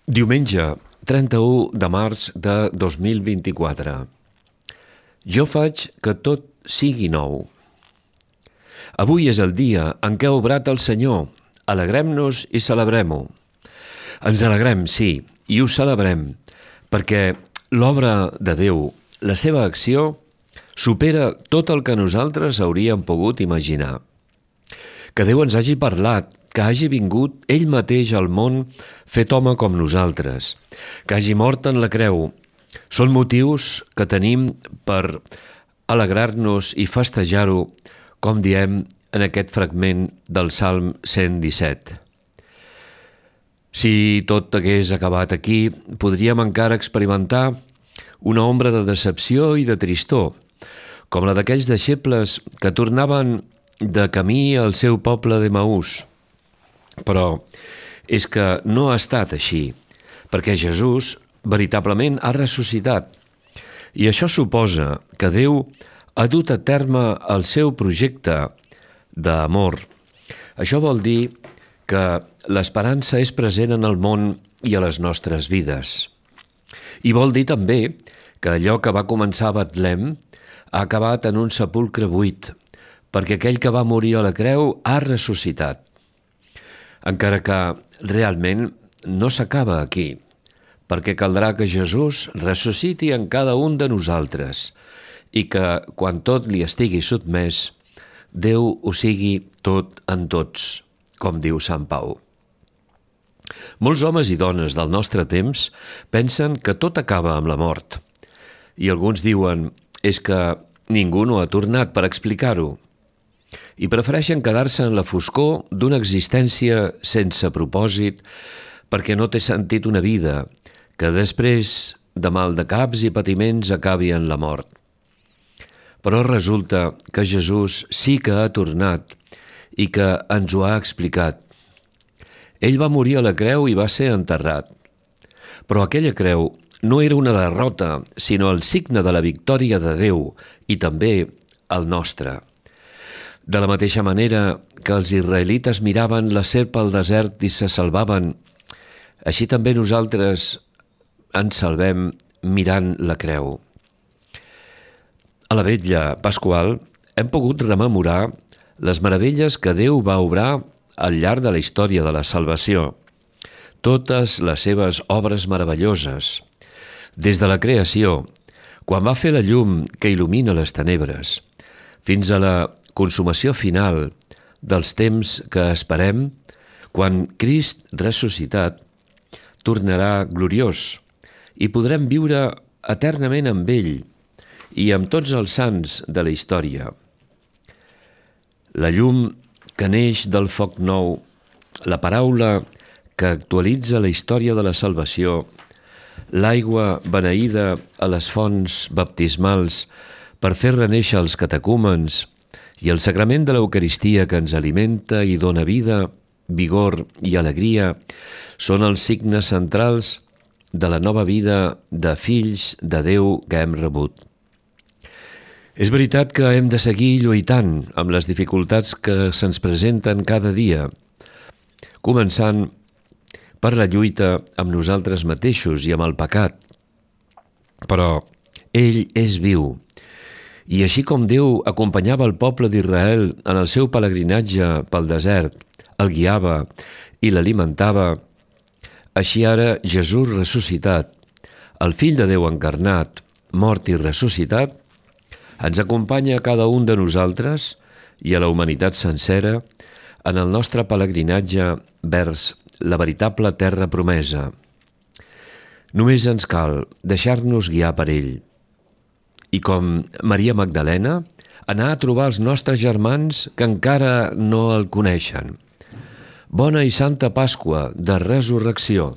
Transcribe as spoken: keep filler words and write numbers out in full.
Diumenge, trenta-u de març de dos mil vint-i-quatre. Jo faig que tot sigui nou. Avui és el dia en què ha obrat el Senyor. Alegrem-nos i celebrem-ho. Ens alegrem, sí, i ho celebrem, perquè l'obra de Déu, la seva acció, supera tot el que nosaltres hauríem pogut imaginar. Que Déu ens hagi parlat, que hagi vingut ell mateix al món fet home com nosaltres, que hagi mort en la creu, són motius que tenim per alegrar-nos i festejar-ho, com diem en aquest fragment del Salm cent disset. Si tot hagués acabat aquí, podríem encara experimentar una ombra de decepció i de tristor, com la d'aquells deixebles que tornaven de camí al seu poble d'Emaús. Però és que no ha estat així, perquè Jesús veritablement ha ressuscitat. I això suposa que Déu ha dut a terme el seu projecte d'amor. Això vol dir que l'esperança és present en el món i a les nostres vides. I vol dir també que allò que va començar a Betlem ha acabat en un sepulcre buit, perquè aquell que va morir a la creu ha ressuscitat. Encara que realment no s'acaba aquí, perquè caldrà que Jesús ressusciti en cada un de nosaltres i que, quan tot li estigui sotmès, Déu ho sigui tot en tots, com diu Sant Pau. Molts homes i dones del nostre temps pensen que tot acaba amb la mort, i alguns diuen és que ningú no ha tornat per explicar-ho, i prefereixen quedar-se en la foscor d'una existència sense propòsit perquè no té sentit una vida que després de mal de caps i patiments acabi en la mort. Però resulta que Jesús sí que ha tornat i que ens ho ha explicat. Ell va morir a la creu i va ser enterrat. Però aquella creu no era una derrota, sinó el signe de la victòria de Déu i també el nostre. De la mateixa manera que els israelites miraven la serp al desert i se salvaven, així també nosaltres ens salvem mirant la creu. A la vetlla pasqual hem pogut rememorar les meravelles que Déu va obrar al llarg de la història de la salvació, totes les seves obres meravelloses, des de la creació, quan va fer la llum que il·lumina les tenebres, fins a la consumació final dels temps que esperem quan Crist ressuscitat tornarà gloriós i podrem viure eternament amb ell i amb tots els sants de la història. La llum que neix del foc nou, la paraula que actualitza la història de la salvació, l'aigua beneïda a les fonts baptismals per fer renéixer els catecúmens i el sagrament de l'Eucaristia que ens alimenta i dona vida, vigor i alegria són els signes centrals de la nova vida de fills de Déu que hem rebut. És veritat que hem de seguir lluitant amb les dificultats que se'ns presenten cada dia, començant per la lluita amb nosaltres mateixos i amb el pecat. Però ell és viu, i així com Déu acompanyava el poble d'Israel en el seu pelegrinatge pel desert, el guiava i l'alimentava, així ara Jesús ressuscitat, el Fill de Déu encarnat, mort i ressuscitat, ens acompanya a cada un de nosaltres i a la humanitat sencera en el nostre pelegrinatge vers la veritable terra promesa. Només ens cal deixar-nos guiar per ell. I com Maria Magdalena, anar a trobar els nostres germans que encara no el coneixen. Bona i Santa Pasqua de Resurrecció.